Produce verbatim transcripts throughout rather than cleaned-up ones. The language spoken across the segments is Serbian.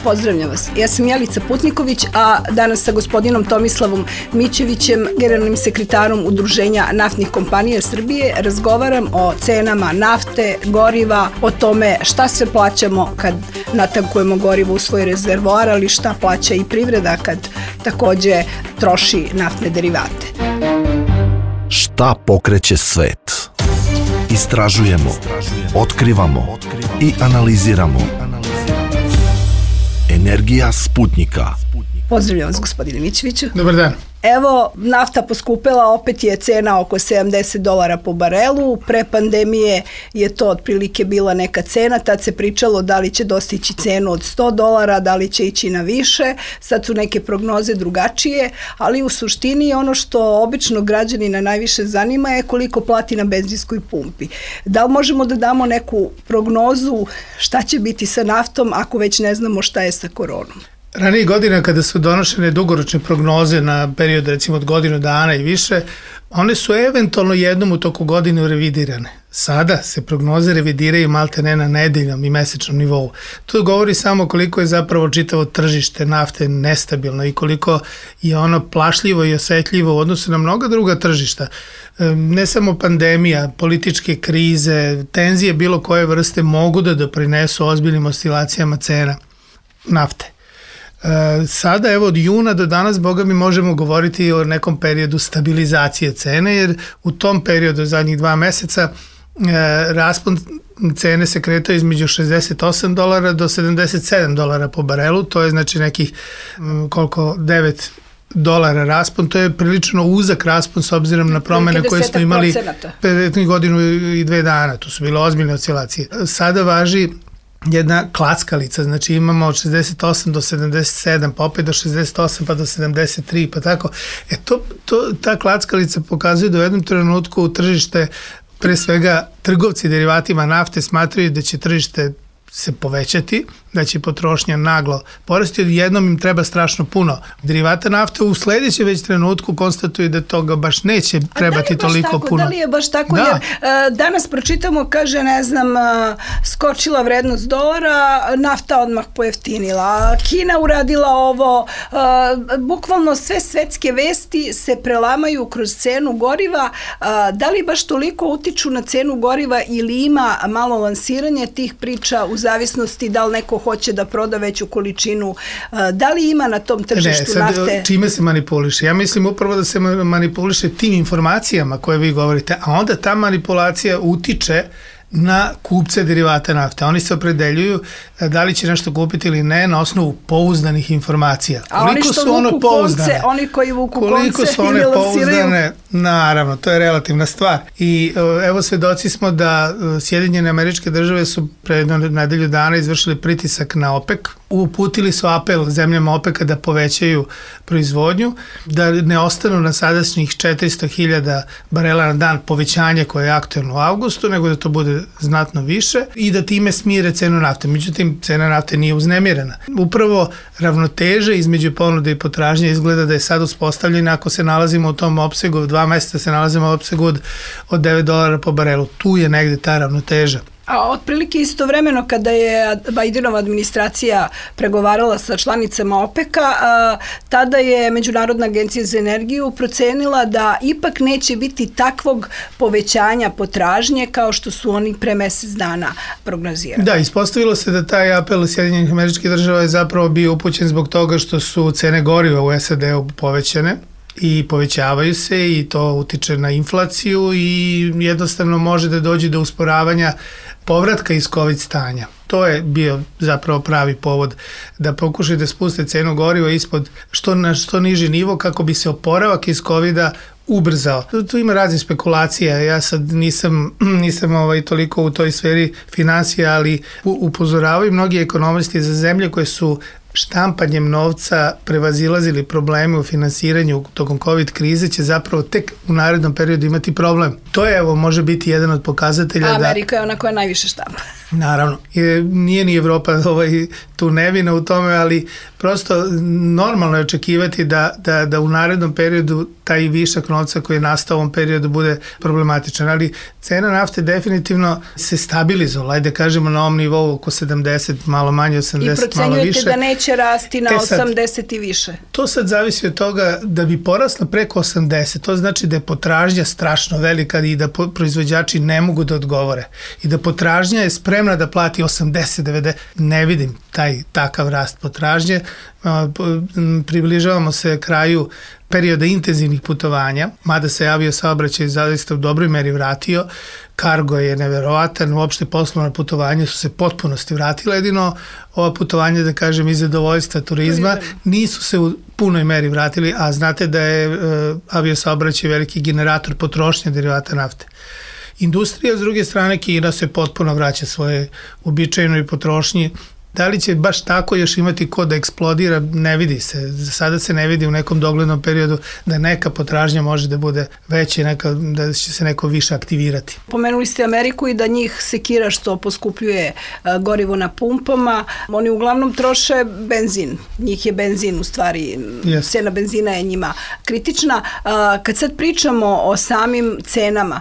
Pozdravljam vas. Ja sam Jelica Putniković, a danas sa gospodinom Tomislavom Mićevićem, generalnim sekretarom Udruženja naftnih kompanija Srbije, razgovaram o cenama nafte, goriva, o tome šta sve plaćamo kad natankujemo gorivo u svoj rezervoar, ali šta plaća i privreda kad takođe troši naftne derivate. Šta pokreće svet? Istražujemo, otkrivamo i analiziramo. Energija Sputnika. Pozdravljam vas, gospodine Mićeviću. Dobar dan. Evo, nafta poskupela, opet je cena oko sedamdeset dolara po barelu. Pre pandemije je to otprilike bila neka cena, tad se pričalo da li će dostići cenu od sto dolara, da li će ići na više. Sad su neke prognoze drugačije, ali u suštini ono što obično građanina najviše zanima je koliko plati na benzinskoj pumpi. Da li možemo da damo neku prognozu šta će biti sa naftom ako već ne znamo šta je sa koronom? Ranije godina kada su donošene dugoročne prognoze na period recimo od godinu dana i više, one su eventualno jednom u toku godine revidirane. Sada se prognoze revidiraju malte ne na nedeljnom i mesečnom nivou. To govori samo koliko je zapravo čitavo tržište nafte nestabilno i koliko je ono plašljivo i osetljivo u odnosu na mnoga druga tržišta. Ne samo pandemija, političke krize, tenzije bilo koje vrste mogu da doprinesu ozbiljnim oscilacijama cena nafte. Sada, evo, od juna do danas, boga mi možemo govoriti o nekom periodu stabilizacije cene, jer u tom periodu, zadnjih dva meseca, raspon cene se kretao između šezdeset osam dolara do sedamdeset sedam dolara po barelu, to je znači nekih koliko, devet dolara raspon, to je prilično uzak raspon s obzirom na promene koje smo imali prethodnih godinu i dve dana, to su bile ozbiljne oscilacije. Sada važi jedna klackalica, znači imamo od šezdeset osam do sedamdeset sedam, pa opet do šezdeset osam, pa do sedamdeset tri, pa tako. E to, to, ta klackalica pokazuje da u jednom trenutku u tržište, pre svega trgovci derivatima nafte smatraju da će tržište se povećati, da će potrošnja naglo porasti, od jednom im treba strašno puno derivata nafte, u sledećem već trenutku konstatuju da toga baš neće trebati da toliko tako, puno. Da li je baš tako? Da. Jer uh, danas pročitamo, kaže, ne znam, uh, skočila vrednost dolara, nafta odmah pojeftinila, Kina uradila ovo, uh, bukvalno sve svetske vesti se prelamaju kroz cenu goriva. Uh, da li baš toliko utiču na cenu goriva ili ima malo lansiranje tih priča u zavisnosti da li neko hoće da proda veću količinu, da li ima na tom tržištu ne, sad, nafte? Čime se manipuliše? Ja mislim upravo da se manipuliše tim informacijama koje vi govorite, a onda ta manipulacija utiče na kupce derivata nafte. Oni se opredeljuju da li će nešto kupiti ili ne na osnovu pouzdanih informacija. A oni što su vuku konce, oni koji vuku konce, koliko su one pouzdane, naravno, to je relativna stvar. I evo svedoci smo da Sjedinjene Američke Države su pre nedelju dana izvršili pritisak na OPEC, uputili su apel zemljama OPEC-a da povećaju proizvodnju, da ne ostanu na sadašnjih četiristo hiljada barela na dan povećanje koje je aktuelno u avgustu, nego da to bude znatno više i da time smire cenu nafte. Međutim, cena nafte nije uznemirena. Upravo ravnoteža između ponude i potražnje izgleda da je sad uspostavljena ako se nalazimo u tom opsegu, dva meseca se nalazimo u opsegu od, od devet dolara po barelu. Tu je negde ta ravnoteža. A otprilike istovremeno kada je Bidenova administracija pregovarala sa članicama OPEC-a, tada je Međunarodna agencija za energiju procenila da ipak neće biti takvog povećanja potražnje kao što su oni pre mesec dana prognozirali. Da, ispostavilo se da taj apel Sjedinjenih Američkih Država je zapravo bio upućen zbog toga što su cene goriva u S A D-u povećane i povećavaju se i to utiče na inflaciju i jednostavno može da dođe do usporavanja povratka iz COVID stanja. To je bio zapravo pravi povod da pokušaju da spuste cenu goriva ispod što na što niži nivo kako bi se oporavak iz COVID-a ubrzao. Tu ima razne spekulacije, ja sad nisam, nisam ovaj, toliko u toj sferi finansija, ali upozoravaju mnogi ekonomisti za zemlje koje su štampanjem novca prevazilazili probleme u finansiranju tokom COVID krize, će zapravo tek u narednom periodu imati problem. To je, evo, može biti jedan od pokazatelja da... Amerika je ona koja najviše štampa. Naravno, nije ni Evropa ovaj, tu nevina u tome, ali prosto normalno je očekivati da, da, da u narednom periodu taj višak novca koji je nastao u ovom periodu bude problematičan, ali cena nafte definitivno se stabilizovala, ajde kažemo na ovom nivou oko sedamdeset, malo manje, osamdeset, malo više. I procenjujete da neće rasti na e sad, osamdeset i više? To sad zavisi od toga da bi porasla preko osamdeset, to znači da je potražnja strašno velika i da proizvođači ne mogu da odgovore i da potražnja je spremna da plati osamdeset, devedeset, ne vidim taj takav rast potražnje. Približavamo se kraju perioda intenzivnih putovanja, mada se avio saobraćaj zaista u dobroj meri vratio, kargo je neverovatan, uopšte poslovna putovanja su se potpunosti vratila, jedino ova putovanja, da kažem, iz zadovoljstva turizma nisu se u punoj meri vratili, a znate da je uh, avio saobraćaj veliki generator potrošnje derivata nafte. Industrija, s druge strane, Kina se potpuno vraća svoje uobičajenoj potrošnji. Da li će baš tako još imati ko da eksplodira, ne vidi se. Za sada se ne vidi u nekom doglednom periodu da neka potražnja može da bude veća, neka, da će se neko više aktivirati. Pomenuli ste Ameriku i da njih sekira što poskupljuje gorivo na pumpama. Oni uglavnom troše benzin. Njih je benzin u stvari, yes. Cena benzina je njima kritična. Kad sad pričamo o samim cenama,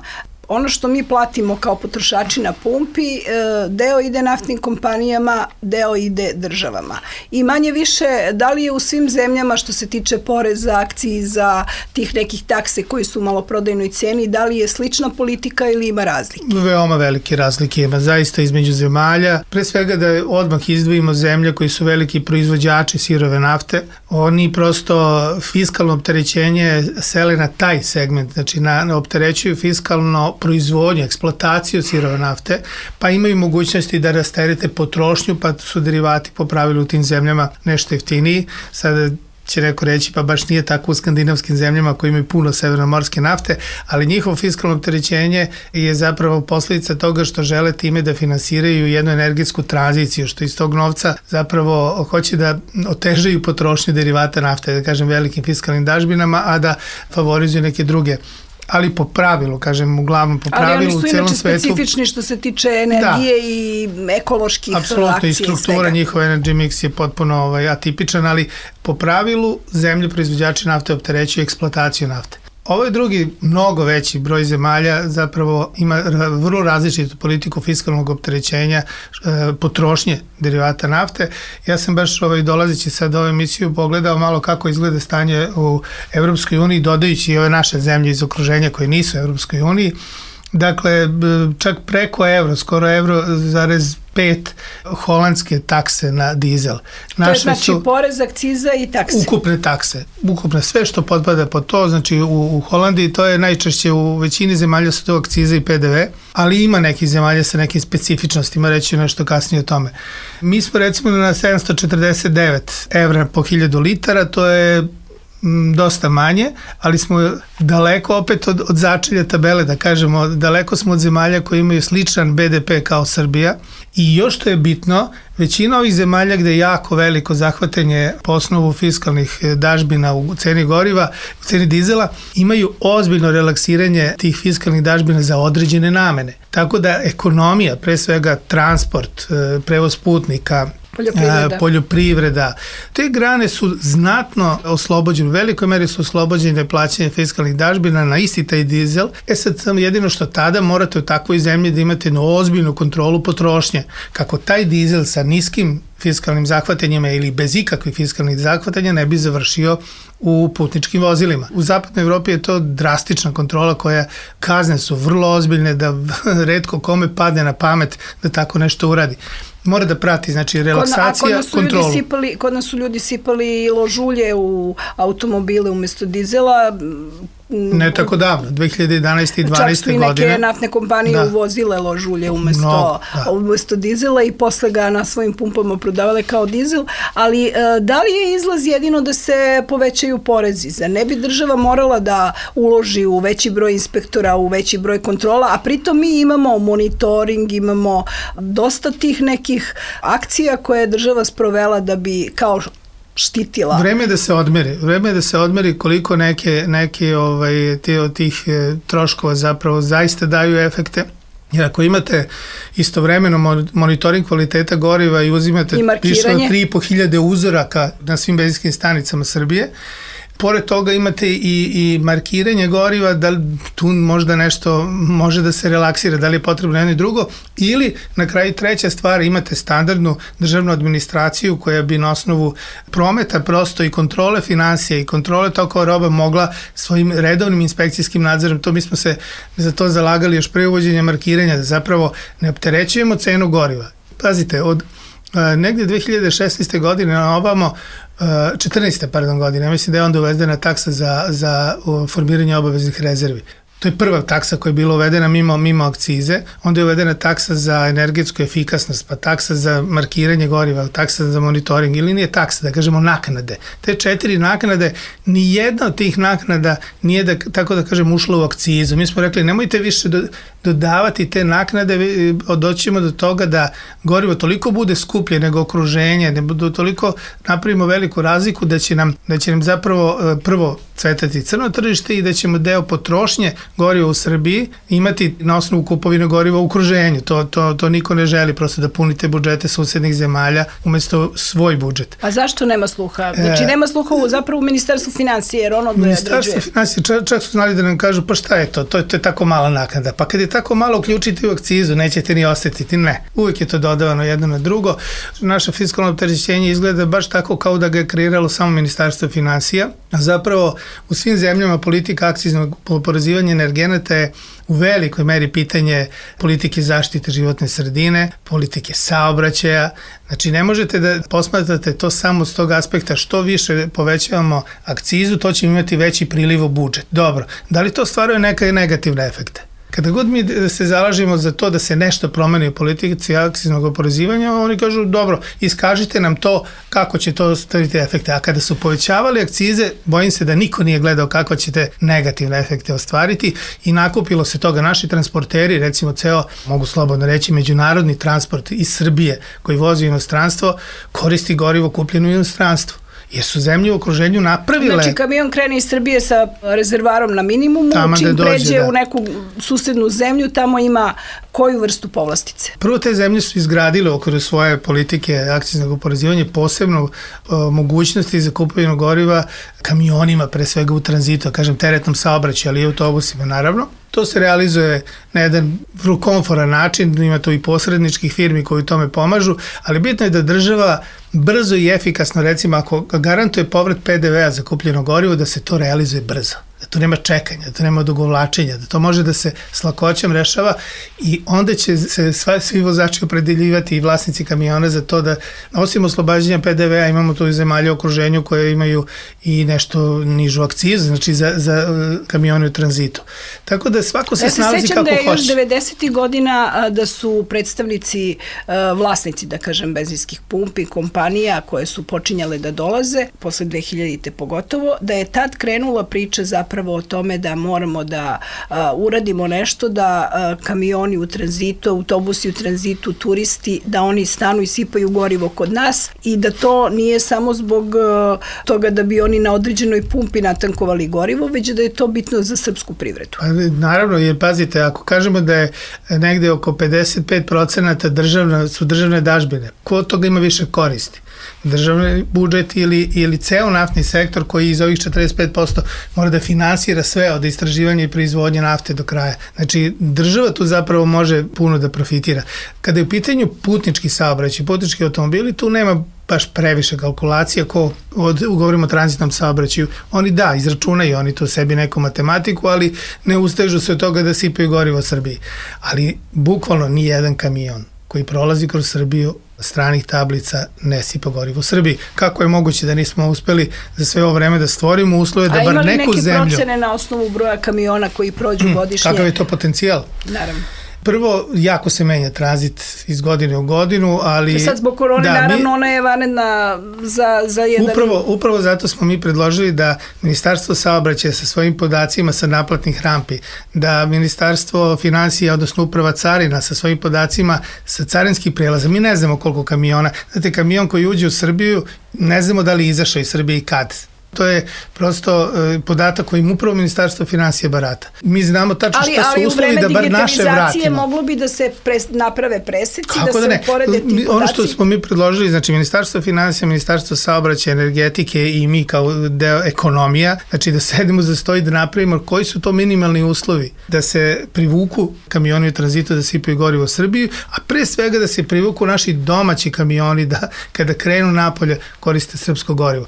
ono što mi platimo kao potrošači na pumpi, deo ide naftnim kompanijama, deo ide državama. I manje više, da li je u svim zemljama što se tiče poreza, akciza, tih nekih takse koji su u maloprodajnoj ceni, da li je slična politika ili ima razlike? Veoma velike razlike ima, zaista između zemalja. Pre svega da odmah izdvojimo zemlje koji su veliki proizvođači sirove nafte. Oni prosto fiskalno opterećenje sele na taj segment, znači na, na opterećuju fiskalno proizvodnju, eksploataciju sirove nafte, pa imaju mogućnosti da rasterete potrošnju, pa su derivati po pravilu u tim zemljama nešto jeftiniji. Sada će neko reći, pa baš nije tako u skandinavskim zemljama koji imaju puno severnomorske nafte, ali njihovo fiskalno opterećenje je zapravo posljedica toga što žele time da finansiraju jednu energetsku tranziciju, što iz tog novca zapravo hoće da otežaju potrošnju derivata nafte, da kažem velikim fiskalnim dažbinama, a da favorizuju neke druge. Ali po pravilu, kažem, uglavnom po pravilu u celom svetu. Ali oni su inače specifični što se tiče energije da. I ekoloških akcija. Apsolutno, i struktura njihova energy mix je potpuno ovaj, atipičan, ali po pravilu zemlje proizvođači nafte opterećuju eksploataciju nafte. Ovo je drugi, mnogo veći broj zemalja, zapravo ima vrlo različitu politiku fiskalnog opterećenja, potrošnje derivata nafte. Ja sam baš ovaj, dolazeći sad ovu emisiju pogledao malo kako izgleda stanje u Evropskoj uniji, dodajući i ove naše zemlje iz okruženja koje nisu u Evropskoj uniji. Dakle, čak preko evro, skoro evro zarez pet holandske takse na dizel. Naše to je znači su porez, akciza i takse. Ukupne takse. Ukupne sve što potpada pod to, znači u, u Holandiji to je najčešće, u većini zemalja su to akciza i pe de ve, ali ima nekih zemalja sa nekim specifičnostima, reći nešto kasnije o tome. Mi smo recimo na sedamsto četrdeset devet evra po hiljadu litara, to je dosta manje, ali smo daleko opet od, od začelja tabele, da kažemo, daleko smo od zemalja koji imaju sličan be de pe kao Srbija i još što je bitno, većina ovih zemalja gde je jako veliko zahvatanje po osnovu fiskalnih dažbina u ceni goriva, u ceni dizela, imaju ozbiljno relaksiranje tih fiskalnih dažbina za određene namene. Tako da ekonomija, pre svega transport, prevoz putnika, Poljoprivreda. poljoprivreda. Te grane su znatno oslobođene, u velikoj meri su oslobođene plaćanja fiskalnih dažbina na isti taj dizel. E sad samo jedino što tada morate u takvoj zemlji da imate ozbiljnu kontrolu potrošnje. Kako taj dizel sa niskim fiskalnim zahvatanjima ili bez ikakvih fiskalnih zahvatanja ne bi završio u putničkim vozilima. U zapadnoj Evropi je to drastična kontrola koja kazne su vrlo ozbiljne da retko kome padne na pamet da tako nešto uradi. Mora da prati, znači, relaksacija, kod kontrolu. Sipali, kod nas su ljudi sipali ložulje u automobile umjesto dizela. Ne tako davno, dve hiljade jedanaeste i dvanaeste godine. Čak su i neke naftne kompanije da. uvozile lož ulje umesto, no, umesto dizela i posle ga na svojim pumpama prodavale kao dizel, ali da li je izlaz jedino da se povećaju porezi? Za ne bi država morala da uloži u veći broj inspektora, u veći broj kontrola, a pritom mi imamo monitoring, imamo dosta tih nekih akcija koje je država sprovela da bi kao štitila. Vreme je da se odmeri. Vreme je da se odmeri koliko neke, neke ovaj, te od tih e, troškova zapravo zaista daju efekte. Jer ako imate istovremeno monitoring kvaliteta goriva i uzimate više od tri i po hiljade uzoraka na svim benzinskim stanicama Srbije, pored toga imate i, i markiranje goriva, da li tu možda nešto može da se relaksira, da li je potrebno jedno i drugo, ili na kraju treća stvar, imate standardnu državnu administraciju koja bi na osnovu prometa prosto i kontrole financija i kontrole tokova roba mogla svojim redovnim inspekcijskim nadzorom, to mi smo se za to zalagali još pre uvođenja markiranja, da zapravo ne opterećujemo cenu goriva. Pazite, od negde dve hiljade šesnaeste godine na ovamo, četrnaeste pardon godine, ja mislim da je onda uvedena taksa za, za formiranje obaveznih rezervi. To je prva taksa koja je bila uvedena mimo, mimo akcize, onda je uvedena taksa za energetsku efikasnost, pa taksa za markiranje goriva, taksa za monitoring, ili nije taksa, da kažemo naknade. Te četiri naknade, ni jedna od tih naknada nije, da, tako da kažem, ušla u akcizu. Mi smo rekli, nemojte više do, dodavati te naknade, doćemo do toga da gorivo toliko bude skuplje nego okruženje, ne bude toliko napravimo veliku razliku da će nam, da će nam zapravo prvo cvetati crno tržište i da ćemo deo potrošnje goriva u Srbiji imati na osnovu kupovine goriva u okruženju. To, to, to niko ne želi, prosto da punite budžete susednih zemalja umesto svoj budžet. A zašto nema sluha? Znači nema sluha u, zapravo u Ministarstvu financije, jer ono određuje. Ministarstvo financije, čak, čak su znali da nam kažu, pa šta je to? To je, to je tako mala naknada. Pa kad je tako malo uključiti u akcizu, nećete ni osetiti. Ne. Uvijek je to dodavano jedno na drugo. Naše fiskalno opterećenje izgleda baš tako kao da ga je kreiralo samo Ministarstvo financija. A zapravo u svim zemljama politika akciznog oporezivanja energenata je u velikoj meri pitanje politike zaštite životne sredine, politike saobraćaja. Znači ne možete da posmatrate to samo s tog aspekta, što više povećavamo akcizu, to ćemo imati veći priliv u budžet. Dobro, da li to stvaruje neke negativne efekte? Kada god mi se zalažemo za to da se nešto promeni u politici akciznog oporezivanja, oni kažu, dobro, iskažite nam to kako će to staviti efekte. A kada su povećavali akcize, bojim se da niko nije gledao kako ćete negativne efekte ostvariti i nakupilo se toga. Naši transporteri, recimo ceo, mogu slobodno reći, međunarodni transport iz Srbije koji vozi u inostranstvo, koristi gorivo kupljeno u inostranstvu. Jer su zemlje u okruženju napravile... Znači, kamion krene iz Srbije sa rezervarom na minimumu, tamo čim dođe, pređe da. u neku susednu zemlju, tamo ima koju vrstu povlastice? Prvo, te zemlje su izgradile okolo svoje politike akciznog oporezivanja posebno o, mogućnosti za kupovinu goriva kamionima, pre svega u tranzitu, kažem teretnom saobraćaju, ali i autobusima, naravno. To se realizuje na jedan vrlo komforan način, ima to i posredničkih firmi koji tome pomažu, ali bitno je da država brzo i efikasno, recimo ako garantuje povrat pe de vea za kupljeno gorivo, da se to realizuje brzo, da tu nema čekanja, da tu nema odugovlačenja, da to može da se s lakoćem rešava i onda će se sva, svi vozači opredeljivati i vlasnici kamiona za to da, osim oslobađanja pe de vea, imamo tu i zemalje u okruženju koje imaju i nešto nižu akcizu, znači za, za kamione u tranzitu. Tako da svako se ja snalazi kako hoće. Ja se sećam da je još devedesetih godina da su predstavnici, vlasnici, da kažem, benzinskih pumpi, kompanija koje su počinjale da dolaze, posle dve hiljadite pogotovo, da je tad krenula priča zapravo o tome da moramo da a, uradimo nešto, da a, kamioni u tranzitu, autobusi u tranzitu, turisti, da oni stanu i sipaju gorivo kod nas i da to nije samo zbog a, toga da bi oni na određenoj pumpi natankovali gorivo, već da je to bitno za srpsku privredu. Pa, naravno, jer pazite, ako kažemo da je negde oko pedeset pet procenata državna, su državne dažbine, ko od toga ima više koristi? Državni budžet ili, ili ceo naftni sektor koji iz ovih četrdeset pet posto mora da finansira sve od istraživanja i proizvodnje nafte do kraja. Znači, država tu zapravo može puno da profitira. Kada je u pitanju putnički saobraćaj, putnički automobili, tu nema baš previše kalkulacija, ko od, govorimo o tranzitnom saobraćaju, oni da, izračunaju oni to sebi neku matematiku, ali ne ustežu se od toga da sipaju gorivo u Srbiji. Ali bukvalno ni jedan kamion koji prolazi kroz Srbiju stranih tablica ne sipa gorivo u Srbiji. Kako je moguće da nismo uspeli za sve ovo vreme da stvorimo uslove da bar neku zemlju... A ima li neke procene na osnovu broja kamiona koji prođu godišnje? Kakav je to potencijal? Naravno. Prvo, jako se menja tranzit iz godine u godinu, ali... Sad zbog korone, da, naravno, mi, ona je vanredna za, za jedan... Upravo, upravo zato smo mi predložili da Ministarstvo saobraćaja sa svojim podacima sa naplatnih rampi, da Ministarstvo finansija, odnosno Uprava carina sa svojim podacima sa carinskih prelaza. Mi ne znamo koliko kamiona. Znate, kamion koji uđe u Srbiju, ne znamo da li je izašao iz Srbije i kad. To je prosto e, podatak kojim upravo Ministarstvo finansija barata. Mi znamo tačno šta su uslovi da bar naše vratimo. Ali u vreme digitalizacije moglo bi da se pres, naprave preseci, kako da se da uporede ti podaci? Ono što smo mi predložili, znači Ministarstvo finansija, Ministarstvo saobraćaja, energetike i mi kao deo ekonomija, znači da sedemo za sto i da napravimo koji su to minimalni uslovi da se privuku kamioni u tranzitu da sipaju gorivo u Srbiju, a pre svega da se privuku naši domaći kamioni da kada krenu napolje koriste srpsko gorivo.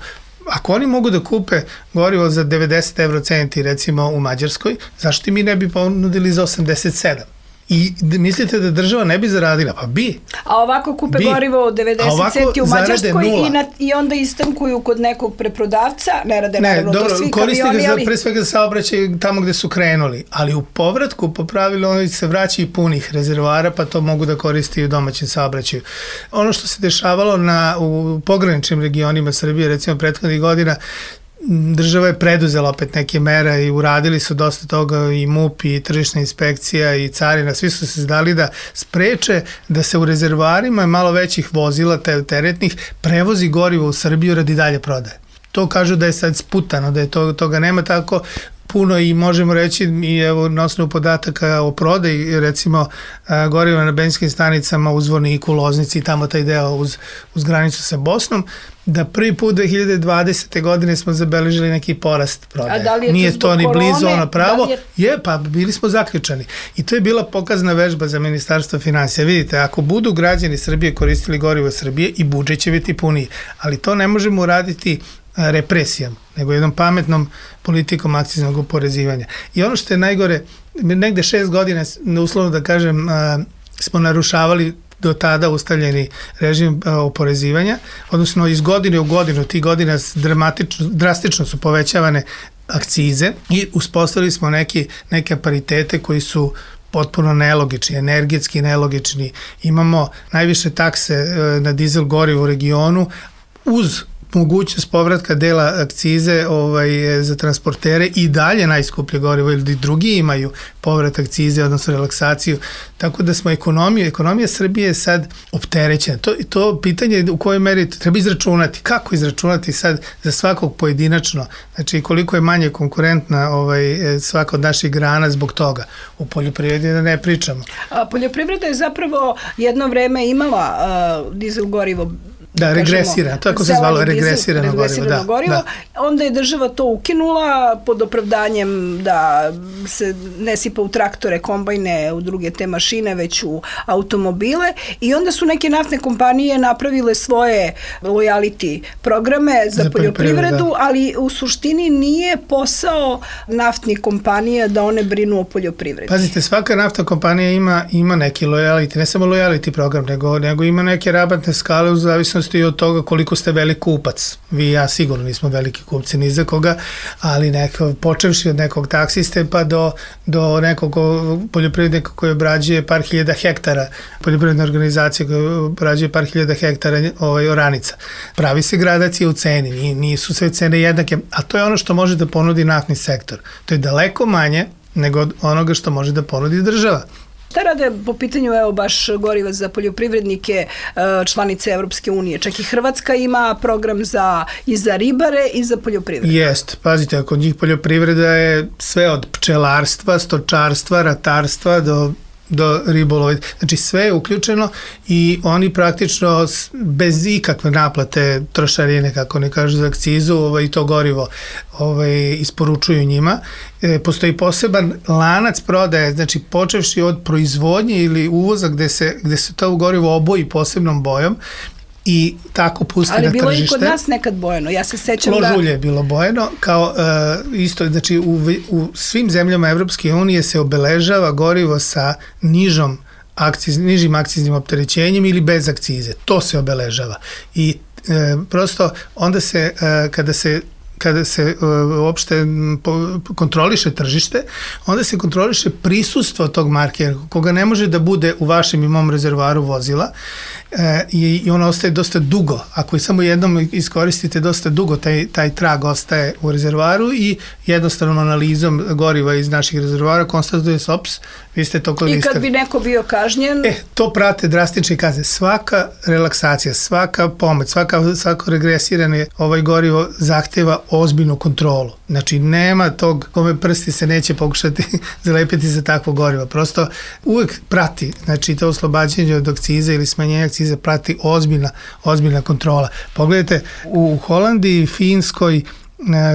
Ako oni mogu da kupe gorivo za devedeset evro centi recimo u Mađarskoj, zašto mi ne bi ponudili za osamdeset sedam? I mislite da država ne bi zaradila? Pa bi. A ovako kupe bi. Gorivo od devedeset centi u Mađarskoj i, na, i onda istankuju kod nekog preprodavca, ne rade ne, naravno dobro, to svi kamioni, ali... Ne, dobro, koriste ga pre svega saobraćaj tamo gde su krenuli, ali u povratku po pravilu oni se vraća i punih rezervoara, pa to mogu da koriste i u domaćem saobraćaju. Ono što se dešavalo na, u pograničnim regionima Srbije, recimo prethodnih godina, država je preduzela opet neke mere i uradili su dosta toga i MUP i tržišna inspekcija i carina, svi su se zdali da spreče da se u rezervoarima malo većih vozila, teretnih, prevozi gorivo u Srbiju radi dalje prodaje. To kažu da je sad sputano, da je to, toga nema tako puno i možemo reći i evo na osnovu podataka o prodaji, recimo goriva na benzinskim stanicama u Zvorniku, Loznici i tamo taj deo uz, uz granicu sa Bosnom, da prvi put dve hiljade dvadesete godine smo zabeležili neki porast prodaje. Da je Nije to, to ni korone, blizu ono pravo. Da je... je, pa bili smo zaključani. I to je bila pokazna vežba za Ministarstvo finansija. Vidite, ako budu građani Srbije koristili gorivo Srbije i budžet će biti puniji, ali to ne možemo uraditi represijom, nego jednom pametnom politikom akciznog oporezivanja. I ono što je najgore, negde šest godina, uslovno da kažem, smo narušavali do tada ustavljeni režim oporezivanja, odnosno iz godine u godinu, tih godina dramatično, drastično su povećavane akcize i uspostavili smo neki, neke paritete koji su potpuno nelogični, energetski nelogični. Imamo najviše takse na dizel gorivo u regionu uz mogućnost povratka dela akcize ovaj, za transportere i dalje najskuplje gorivo ili drugi imaju povrat akcize, odnosno relaksaciju. Tako da smo ekonomija, ekonomija Srbije je sad opterećena. To, to pitanje u kojoj meri treba izračunati. Kako izračunati sad za svakog pojedinačno? Znači koliko je manje konkurentna ovaj, svaka od naših grana zbog toga. U poljoprivredi da ne pričamo. A, poljoprivreda je zapravo jedno vreme imala a, dizel gorivo. Da, regresira, tako se zvalo, regresirano gorivo. Da, gorivo. Da. Onda je država to ukinula pod opravdanjem da se ne sipa u traktore, kombajne, u druge te mašine, već u automobile i onda su neke naftne kompanije napravile svoje lojality programe za, za poljoprivredu, da. Ali u suštini nije posao naftnih kompanija da one brinu o poljoprivredi. Pazite, svaka naftna kompanija ima, ima neki lojality, ne samo lojality program, nego, nego ima neke rabatne skale u zavisnosti i od toga koliko ste velik kupac. Vi i ja sigurno nismo veliki kupci ni za koga, ali neko, počevši od nekog taksiste pa do, do nekog poljoprivrednika koji obrađuje par hiljada hektara, poljoprivredna organizacija koja obrađuje par hiljada hektara ovaj, oranica. Pravi se gradacija u ceni, nisu sve cene jednake, a to je ono što može da ponudi naftni sektor. To je daleko manje nego od onoga što može da ponudi država. Šta rade po pitanju, evo, baš goriva za poljoprivrednike, članice Evropske unije? Čak i Hrvatska ima program za, i za ribare i za poljoprivredu. Jest, pazite, kod njih poljoprivreda je sve od pčelarstva, stočarstva, ratarstva do do ribolova. Znači sve je uključeno i oni praktično bez ikakve naplate trošarine, kako ne kažu za akcizu, ovaj, to gorivo ovaj, isporučuju njima. E, postoji poseban lanac prodaje, znači počevši od proizvodnje ili uvoza gde se, gde se to gorivo oboji posebnom bojom i tako pusti na tržište. Ali bilo i kod nas nekad bojeno, ja se sećam da... Ložulje je bilo bojeno, kao uh, isto, znači u, u svim zemljama Evropske unije se obeležava gorivo sa nižom akciz, nižim akciznim opterećenjem ili bez akcize. To se obeležava. I e, prosto onda se, e, kada se kada se uh, uopšte po, kontroliše tržište, onda se kontroliše prisustvo tog markera, koga ne može da bude u vašem i mom rezervoaru vozila e, i, i ono ostaje dosta dugo. Ako je samo jednom iskoristite dosta dugo, taj, taj trag ostaje u rezervoaru i jednostavnom analizom goriva iz naših rezervoara konstatuje se, ops, vi ste to koristili. I kad bi neko bio kažnjen? E, to prate drastične kazne. Svaka relaksacija, svaka pomoć, svaka, svako regresirane ovaj gorivo zahteva ozbiljnu kontrolu. Znači, nema tog kome prsti se neće pokušati zalepiti za takvo gorivo. Prosto uvek prati, znači to oslobađanje od akciza ili smanjenje akciza prati ozbiljna, ozbiljna kontrola. Pogledajte, u Holandiji, Finskoj,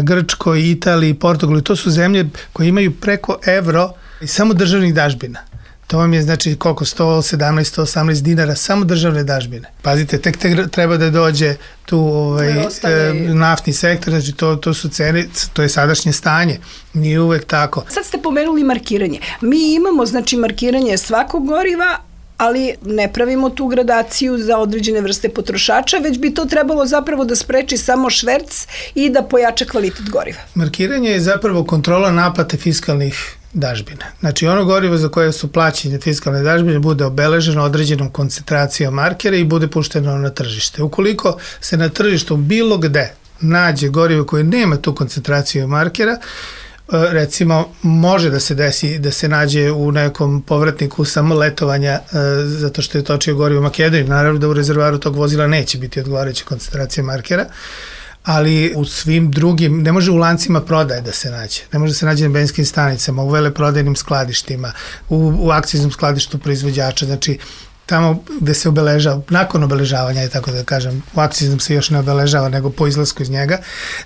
Grčkoj, Italiji, Portugalu, to su zemlje koje imaju preko evro i samo državnih dažbina. To vam je znači koliko, sto sedamnaest, sto osamnaest dinara, samo državne dažbine. Pazite, tek, tek treba da dođe tu ovaj, e, naftni sektor, znači to, to su cene, to je sadašnje stanje, nije uvek tako. Sad ste pomenuli markiranje. Mi imamo znači markiranje svakog goriva, ali ne pravimo tu gradaciju za određene vrste potrošača, već bi to trebalo zapravo da spreči samo šverc i da pojača kvalitet goriva. Markiranje je zapravo kontrola naplate fiskalnih dažbine. Znači ono gorivo za koje su plaćene fiskalne dažbine bude obeleženo određenom koncentracijom markera i bude pušteno na tržište. Ukoliko se na tržištu bilo gde nađe gorivo koje nema tu koncentraciju markera, recimo može da se desi da se nađe u nekom povratniku samo letovanja zato što je točio gorivo u Makedoniji. Naravno da u rezervoaru tog vozila neće biti odgovarajuća koncentracija markera, ali u svim drugim, ne može u lancima prodaje da se nađe, ne može da se nađe na benzinskim stanicama, u veleprodajnim skladištima, u, u akciznom skladištu proizvođača, znači tamo gde se obeležava, nakon obeležavanja, je tako da kažem, u akciznom se još ne obeležava, nego po izlasku iz njega.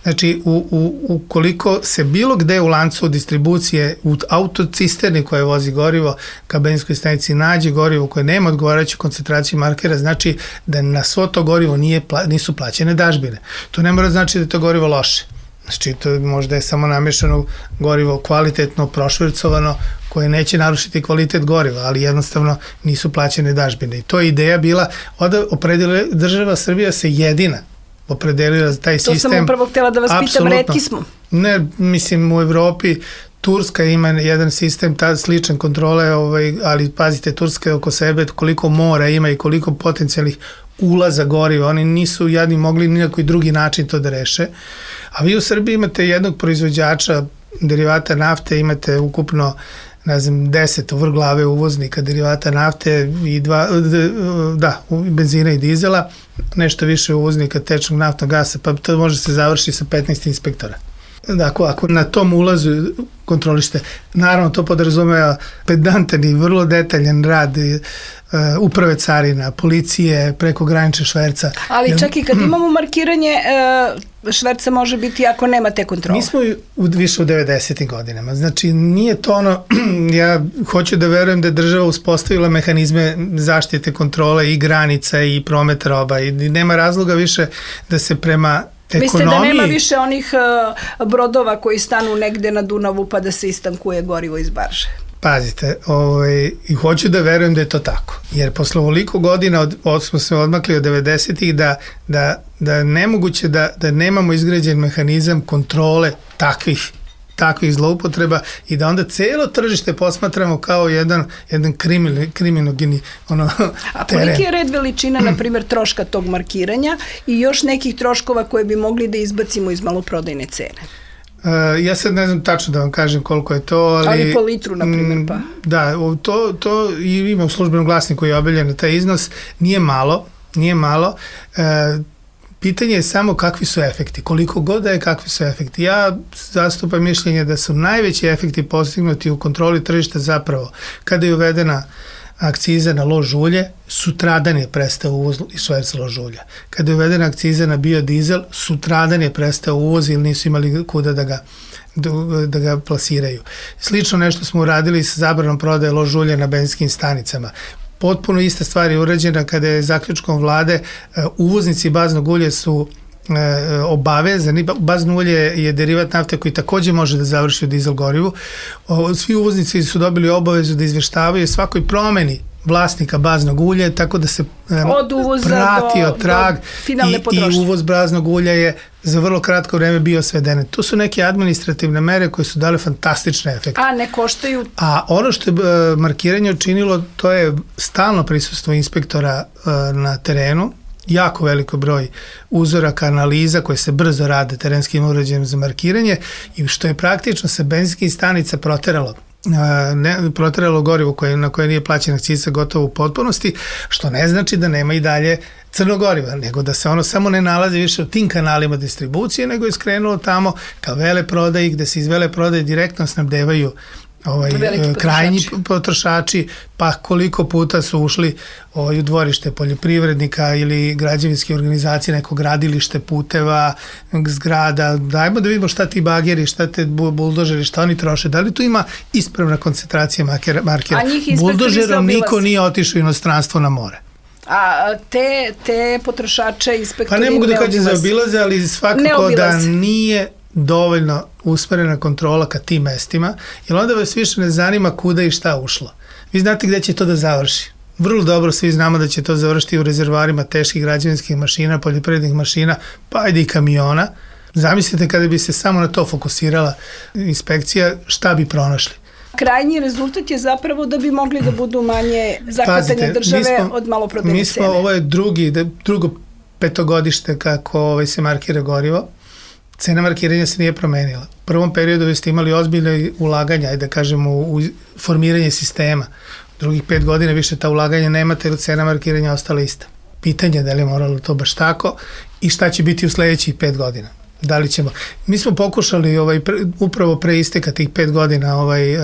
Znači, u, u, ukoliko se bilo gde u lancu distribucije, u autocisterni koje vozi gorivo, ka benzinskoj stanici nađe gorivo koje nema odgovarajuću koncentraciju markera, znači da na svo to gorivo nije, nisu plaćene dažbine. To ne mora znači da je to gorivo loše. Znači, to možda je samo namješano gorivo kvalitetno, prošvercovano, koje neće narušiti kvalitet goriva, ali jednostavno nisu plaćene dažbine. I to je ideja bila, onda opredelila država Srbija se jedina opredelila za taj to sistem. To sam upravo htjela da vas Apsolutno. pitam, retki smo. Ne, mislim u Evropi Turska ima jedan sistem ta sličan kontrole, ovaj, ali pazite, Turska je oko sebe koliko mora ima i koliko potencijalnih ulaza goriva, oni nisu jadni mogli ni na koji drugi način to da reše. A vi u Srbiji imate jednog proizvođača derivata nafte, imate ukupno ne znam, deset vrglave uvoznika derivata nafte i dva, da, benzina i dizela, nešto više uvoznika tečnog naftnog gasa, pa to može se završiti sa petnaest inspektora. Dakle, ako na tom ulazu kontrolište, naravno to podrazumeva pedantan i vrlo detaljan rad uprave carina, policije, preko granične šverca. Ali čak i kad imamo markiranje, šverca može biti ako nema te kontrole. Mi smo u, više u devedesetim godinama, znači nije to ono, ja hoću da verujem da je država uspostavila mehanizme zaštite kontrole i granica i prometa roba i nema razloga više da se prema ekonomiji. Mislite da nema više onih uh, brodova koji stanu negde na Dunavu pa da se istankuje gorivo iz barže? Pazite, ovaj, i hoću da verujem da je to tako, jer posle ovoliko godina od, od, smo se odmakli od devedesetih da, da, da nemoguće da, da nemamo izgrađen mehanizam kontrole takvih takvih zloupotreba i da onda celo tržište posmatramo kao jedan, jedan krimin, kriminogeni ono, A koliki je red veličina, na primjer, troška tog markiranja i još nekih troškova koje bi mogli da izbacimo iz maloprodajne cene? Uh, ja sad ne znam tačno da vam kažem koliko je to, ali... Ali po litru, na primjer, pa. Da, to, to ima u službenom glasniku koji je objavljen taj iznos, nije malo, nije malo. Uh, pitanje je samo kakvi su efekti, koliko god da je kakvi su efekti. Ja zastupam mišljenje da su najveći efekti postignuti u kontroli tržišta zapravo kada je uvedena akciza na lož ulje, sutradan je prestao uvoz i šverca lož ulja. Kada je uvedena akciza na biodizel, sutradan je prestao uvoz ili nisu imali kuda da ga, da ga plasiraju. Slično nešto smo uradili sa zabranom prodaje lož ulja na benzinskim stanicama. Potpuno ista stvar je urađena kada je zaključkom vlade uvoznici baznog ulja su obavezani. Bazno ulje je derivat nafte koji takođe može da završi u dizel gorivu. Svi uvoznici su dobili obavezu da izveštavaju svakoj promeni vlasnika baznog ulja, tako da se od uvoza pratio do, trag do finalne potrošnje. I, i uvoz baznog ulja je za vrlo kratko vreme bio sveden. To su neke administrativne mere koje su dale fantastične efekte. A ne koštaju? A ono što je uh, markiranje učinilo, to je stalno prisustvo inspektora uh, na terenu, jako veliko broj uzoraka, analiza koje se brzo rade terenskim uređajem za markiranje i što je praktično sa benzinskih stanica proteralo ne, proteralo gorivo koje, na koje nije plaćena akciza gotovo u potpunosti, što ne znači da nema i dalje crno goriva, nego da se ono samo ne nalazi više u tim kanalima distribucije, nego je skrenulo tamo ka veleprodaji, gde se iz veleprodaje direktno snabdevaju ovaj, krajnji potrošači, pa koliko puta su ušli ovaj, u dvorište poljoprivrednika ili građevinske organizacije, neko gradilište puteva, zgrada, dajmo da vidimo šta ti bageri, šta te buldožeri, šta oni troše, da li tu ima ispravna koncentracija markera. Buldožerom niko nije otišao u inostranstvo na more. A te, te potrošače inspektori pa ne mogu da kažem za obilaze, ali svakako da nije dovoljno usmerena kontrola ka tim mestima, jer onda vas više ne zanima kuda i šta ušlo. Vi znate gde će to da završi. Vrlo dobro svi znamo da će to završiti u rezervoarima teških građevinskih mašina, poljoprivrednih mašina, pa ajde i kamiona. Zamislite kada bi se samo na to fokusirala inspekcija, šta bi pronašli. Krajnji rezultat je zapravo da bi mogli da budu manje zakratanja države smo, od maloprodajne cene. Mi smo, ovo je drugi, drugo petogodište kako ovaj, se markira gorivo. Cena markiranja se nije promenila. U prvom periodu vi ste imali ozbiljne ulaganja, da kažemo, u formiranje sistema. U drugih pet godina više ta ulaganja nemate, jer cena markiranja ostala ista. Pitanje je da li je moralo to baš tako i šta će biti u sledećih pet godina. Da li ćemo... Mi smo pokušali ovaj, pre, upravo pre isteka tih pet godina ovaj, uh,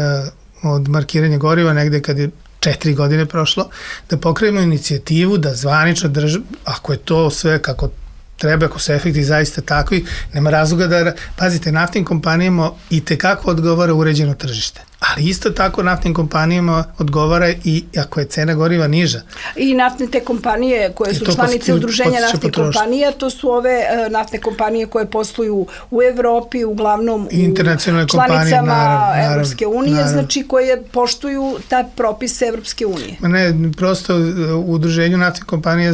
od markiranja goriva, negde kad je četiri godine prošlo, da pokrenemo inicijativu da zvanično država, ako je to sve kako treba, ako su efekti zaista takvi, nema razloga da, pazite, naftnim kompanijama i tekako odgovara uređeno tržište. Ali isto tako naftnim kompanijama odgovara i ako je cena goriva niža. I naftne te kompanije koje su članice udruženja naftnih kompanija, to su ove uh, naftne kompanije koje posluju u Evropi, uglavnom u članicama Evropske unije, naravno. Znači koje poštuju ta propise Evropske unije. Ne, prosto u udruženju naftnih kompanija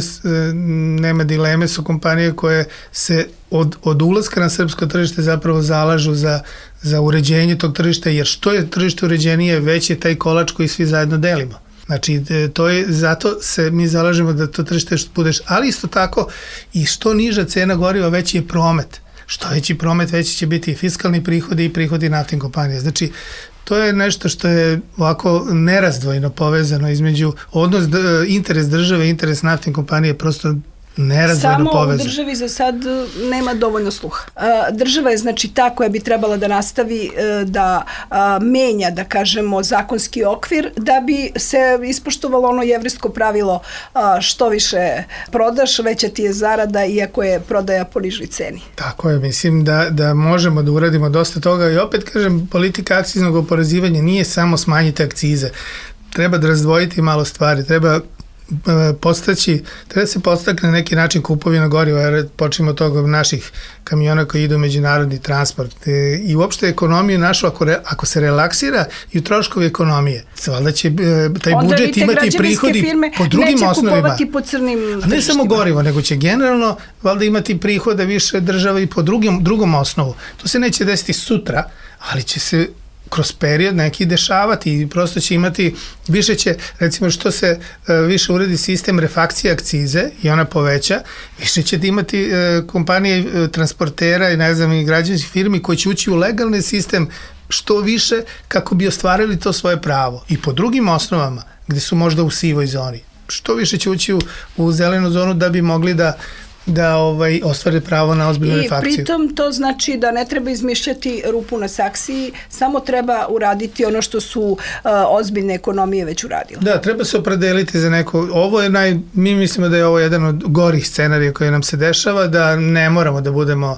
nema dileme, su kompanije koje se od, od ulaska na srpsko tržište zapravo zalažu za, za uređenje tog tržišta, jer što je tržište uređenije, već je taj kolač koji svi zajedno delimo. Znači, to je, zato se mi zalažemo da to tržište budeš, ali isto tako i što niža cena goriva, veći je promet. Što veći promet, veći će biti i fiskalni prihodi i prihodi naftnih kompanija. Znači, to je nešto što je ovako nerazdvojno povezano između odnos, interes države i interes naftnih kompanije prosto nerazdvojno povezano. Samo u državi za sad nema dovoljno sluha. Država je znači ta koja bi trebala da nastavi da menja, da kažemo, zakonski okvir da bi se ispoštovalo ono jevrejsko pravilo što više prodaš, veća ti je zarada iako je prodaja po nižoj ceni. Tako je, mislim da, da možemo da uradimo dosta toga i opet kažem, politika akciznog oporezivanja nije samo smanjiti akcize. Treba da razdvojiti malo stvari, treba postaći, treba se postakne na neki način kupovina goriva, jer počnemo od toga naših kamiona koji idu u međunarodni transport i uopšte ekonomiju našu, ako, re, ako se relaksira i u troškovi ekonomije, valjda će taj onda budžet imati prihodi po drugim osnovima. Po crnim a ne samo gorivo, nego će generalno valjda imati prihoda više država i po drugim, drugom osnovu. To se neće desiti sutra, ali će se kroz period neki dešavati i prosto će imati, više će, recimo što se uh, više uredi sistem refakcije akcize i ona poveća, više će imati uh, kompanije uh, transportera i ne znam i građevinskih firmi koji će ući u legalni sistem što više kako bi ostvarili to svoje pravo i po drugim osnovama gde su možda u sivoj zoni. Što više će ući u, u zelenu zonu da bi mogli da da ovaj, ostvare pravo na ozbiljnu refakciju. I pritom to znači da ne treba izmišljati rupu na saksiji, samo treba uraditi ono što su uh, ozbiljne ekonomije već uradile. Da, treba se opredeliti za neko, ovo je naj, mi mislimo da je ovo jedan od gorih scenarija koji nam se dešava, da ne moramo da budemo uh,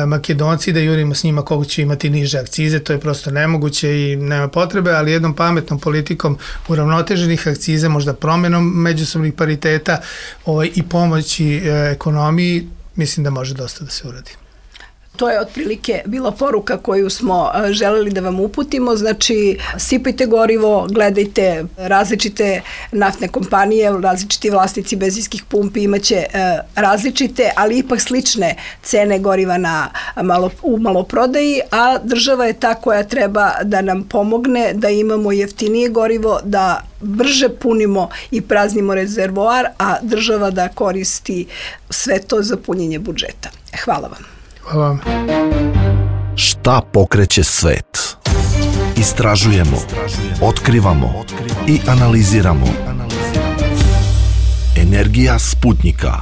Makedonci, da jurimo s njima koliko će imati niže akcize, to je prosto nemoguće i nema potrebe, ali jednom pametnom politikom uravnoteženih akciza, možda promenom međusobnih pariteta ovaj, i pomoći uh, ekonomiji, mislim da može dosta da se uradi. To je otprilike bila poruka koju smo želeli da vam uputimo. Znači, sipajte gorivo, gledajte različite naftne kompanije, različiti vlasnici benzinskih pumpi imaće različite, ali ipak slične cene goriva na malo, u maloprodaji, a država je ta koja treba da nam pomogne da imamo jeftinije gorivo, da brže punimo i praznimo rezervoar, a država da koristi sve to za punjenje budžeta. Hvala vam. Hvala vam. Šta pokreće svet? Istražujemo, otkrivamo i analiziramo. Energija Sputnjika.